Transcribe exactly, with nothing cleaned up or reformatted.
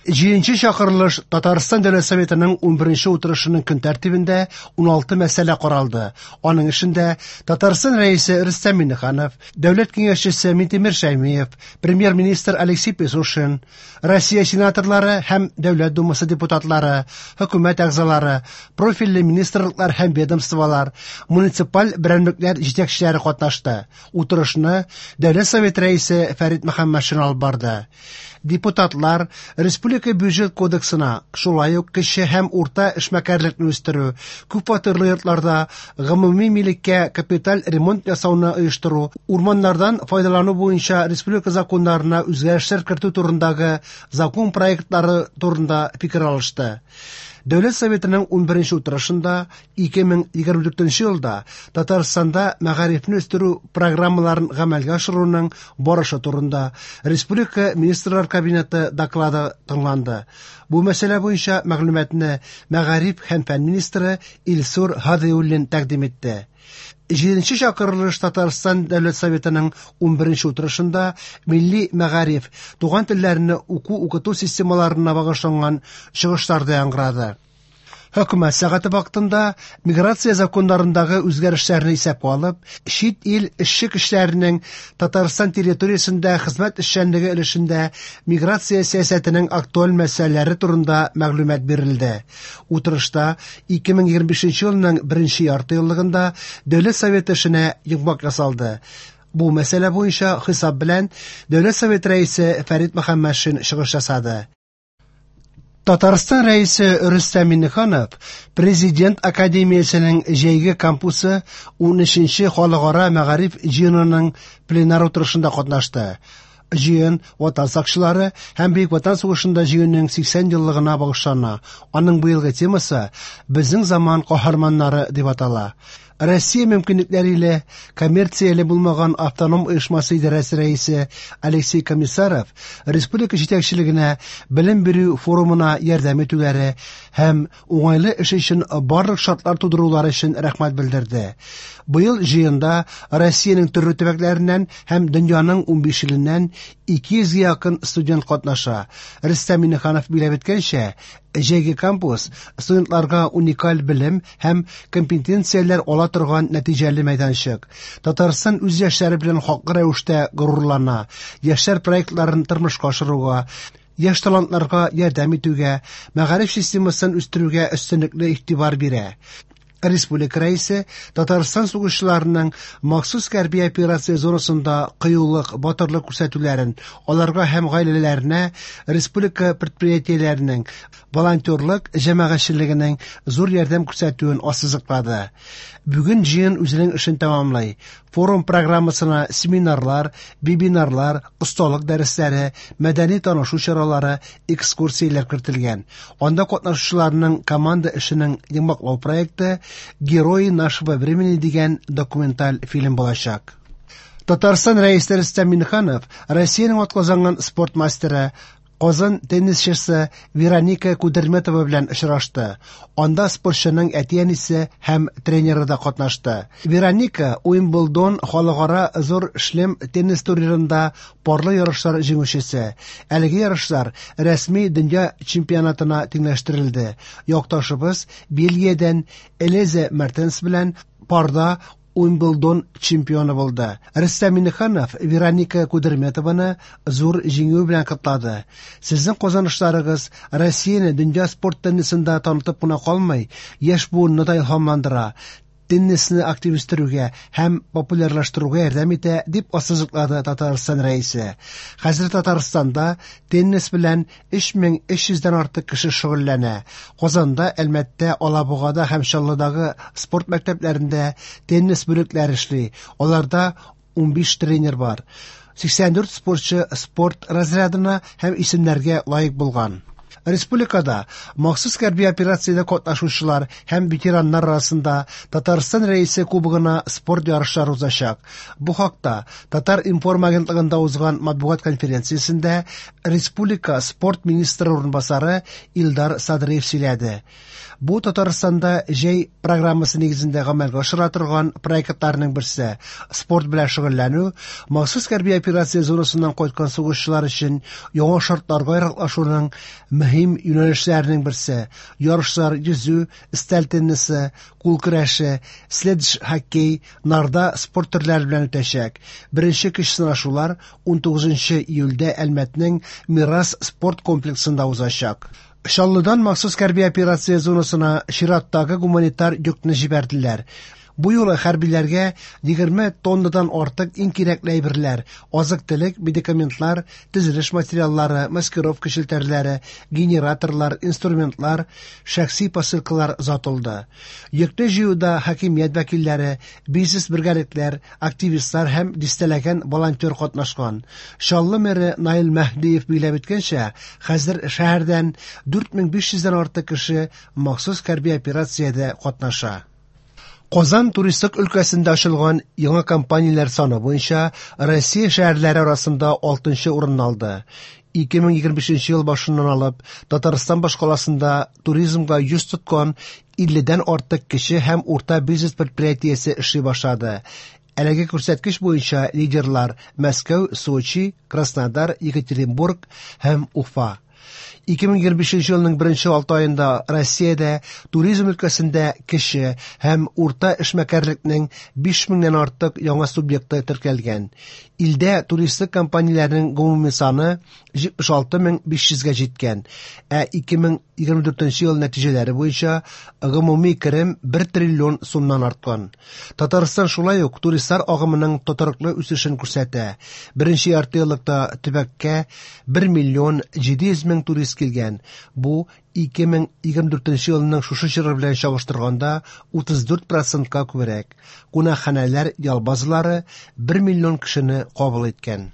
Җиденче чакырылыш Татарстан Дәүләт Советының унберенче утырышының көн тәртибендә уналты мәсьәлә каралды. Аның эшендә Татарстан Рәисе Рөстәм Миңнеханов, Дәүләт киңәшчесе Минтимер Шәймиев, Премьер-министр Алексей Песошин, Россия сенаторлары һәм Дәүләт Думасы депутатлары, хөкүмәт әгъзалары, профильле министрлыклар һәм ведомстволар, муниципаль берәмлекләр җитәкчеләре катнашты. Утырышны Дәүләт Советы Рәисе Фәрит Мөхәммәтшин алып барды. Депутатлар Республика бюджет кодексына, шулай ук кече һәм урта эшмәкәрлекне үстерү, күпфатирлы йортларда гомуми милеккә капиталь ремонт ясауны оештыру, урманнардан файдалану буенча республика законнарына үзгәрешләр кертү турындагы закон проектлары турында фикер алышты. Дәүләт Советының унберенче утырышында ике мең егерме дүртенче елда Татарстанда мәгарифне үстерү программаларын гамәлгә ашыруның барышы турында Республика Министрлар Кабинеты доклады тыңланды. Бу мәсьәлә буенча мәгълүматны мәгариф һәм фән министры Илсур Һадиуллин тәкъдим итте. Җиденче чакырылыш Татарстан Дәүләт Советының унберенче утырышында милли мәгариф, туган телләрне уку-укыту системаларына багышланган чыгышлар да яңгырады. Хөкүмәт сәгате вакытында миграция законнарындагы үзгәрешләрне исәпкә алып, чит ил эшче көчләренең Татарстан территориясендә хезмәт эшчәнлеге өлешендә миграция сәясәтенең актуаль мәсьәләләре турында мәгълүмат бирелде. Утырышта ике мең егерме бишенче елның беренче ярты еллыгында Дәүләт Советы эшенә йомгак ясалды. Бу мәсьәлә буенча хисап белән Дәүләт Советы рәисе Фәрит Мөхәммәтшин чыгыш ясады. Татарстан Рәисе Рөстәм Миңнеханов Президент Академиясенең җәйге кампусы унөченче халыкара мәгариф җыенының пленар утырышында катнашты. Җыен Ватан сакчылары һәм Бөек Ватан сугышында җиңүнең сиксән еллыгына багышлана. Аның быелгы темасы Безнең заман каһарманнары дип атала. Россия мөмкинлекләре илә коммерцияле булмаган автоном оешмасы идарәсе рәисе Алексей Комиссаров республика җитәкчелегенә белем бирү форумына ярдәм итүләре һәм уңайлы эш өчен барлык шартлар тудырулары өчен рәхмәт белдерде. Быел җыенда Россиянең төрле төбәкләреннән һәм дөньяның унбиш иленнән ике йөзгә якын студент катнаша. Рөстәм Миңнеханов билгеләп үткәнчә, җәйге кампус студентларга уникаль белем һәм компетенцияләр ала торган нәтиҗәле мәйданчык. Татарстан үз яшьләре белән хаклы рәвештә горурлана, яшьләр проектларын тормышка ашыруга, яшь талантларга ярдәм итүгә, мәгариф системасын үстерүгә өстенлекле игътибар бирә. Республика рәисе Татарстан сугышчыларының махсус хәрби операция зонасында кыюлык, батырлык күрсәтүләрен, аларга һәм гаиләләренә республика предприятиеләренең, волонтерлык җәмәгатьчелегенең зур ярдәм күрсәтүен ассызыклады. Бүген җыен үзенең эшен тәмамлый. Форум программасына семинарлар, вебинарлар, осталык дәресләре, мәдәни танышу чаралары, экскурсияләр кертелгән. Анда катнашучыларның команда эшенең йомгаклау проекты Герои нашего времени дигән документаль фильм булачак. Татарстан Рәисе Рөстәм Миңнеханов Россиянең атказанган спорт мастеры Казан теннисчысы Вероника Кудерметова белән очрашты. Анда спортчының әти-әнисе һәм тренеры да катнашты. Вероника Уимблдон халыкара зур шлем теннис турнирында парлы ярышлар җиңүчесе. Әлеге ярышлар рәсми дөнья чемпионатына тиңләштерелде. Якташыбыз Бельгиядән Элизе Мертенс белән парда Уимблдон чемпионы булды. Рөстәм Миңнеханов Вероника Кудерметованы зур җиңү белән котлады. Сезнең казанышларыгыз Россияне дөнья спорт теннисында танытып кына калмый, яшь буынны да илһамландыра, теннисны актив үстерүгә һәм популярлаштыруга ярдәм итә, дип ассызыклады Татарстан рәисе. Хәзер Татарстанда теннис белән өч мең өч йөздән артык кеше шөгыльләнә. Казанда, Әлмәттә, Алабугада һәм Чаллыдагы спорт мәктәпләрендә теннис бүлекләре эшли. Аларда унбиш тренер бар. Сиксән дүрт спортчы спорт разрядына һәм исемнәргә лаек булган. Республикада махсус хәрби операциядә катнашучылар һәм ветераннар арасында Татарстан Рәисе Кубогына спорт ярышлары узачак. Бу хакта Татар-информ агентлыгында узган матбугат конференциясендә республика спорт министры урынбасары Илдар Садриев сөйләде. Бу Татарстанда җәй программасы нигезендә гамәлгә ашырыла торган проектларның берсе. Спорт белән шөгыльләнү махсус хәрби операция зонасыннан кайткан сугышчылар өчен яңа шартларга яраклашуның мөһим юнәлешләренең берсе. Ярышлар йөзү, өстәл теннисы, кул көрәше, следж-хоккей, нарда спорт төрләре белән үтәчәк. Беренче көч сынашулар унтугызынчы июльдә Әлмәтнең Мирас спорт комплексында узачак. Чаллыдан махсус хәрби операция зонасына чираттагы гуманитар йөкне җибәрделәр. Бу юлы хәрбиләргә егерме тоннадан артык иң кирәкле әйберләр, азык-төлек, медикаментлар, төзелеш материаллары, маскировка челтәрләре, генераторлар, инструментлар, шәхси посылкалар озатылды. Йөкне җыюда хакимият вәкилләре, бизнес бергәлекләр, активистлар һәм дистәләгән волонтер катнашкан. Чаллы мэры Наил Мәһдиев билгеләп үткәнчә, хәзер шәһәрдән дүрт мең биш йөздән артык кеше махсус хәрби операциядә катнаша. Казан туристик өлкәсендә ачылган яңа компанияләр саны буенча Россия шәһәрләре арасында алтынчы урын алды. Ике мең егерме бишенче ел башыннан алып Татарстан башкаласында туризмга йөз тоткан илледән артык кече һәм урта бизнес предприятиесе эшли башлады. Әлеге күрсәткеч буенча лидерлар Мәскәү, Сочи, Краснодар, Екатеринбург һәм Уфа. Ике мең егерме бишенче елның беренче алты аенда Россиядә туризм өлкәсендә кече һәм урта эшмәкәрлекнең биш меңнән артык яңа субъекты теркәлгән. Илдә туристик компанияләрнең гомуми саны җитмеш алты мең биш йөзгә җиткән, ә ике мең егерме дүртенче ел нәтиҗәләре буенча гомуми керем бер триллион сумнан арткан. Татарстан шулай ук туристлар агымының тотрыклы үсешен күрсәтә. Беренче ярты еллыкта төбәккә бер миллион җиде йөз мең турист килгән. Бу ике мең егерме дүртенче елның шушы чоры белән чагыштырганда утыз дүрт процентка күбрәк. Кунакханәләр, ял базалары бер миллион кешене кабул иткән.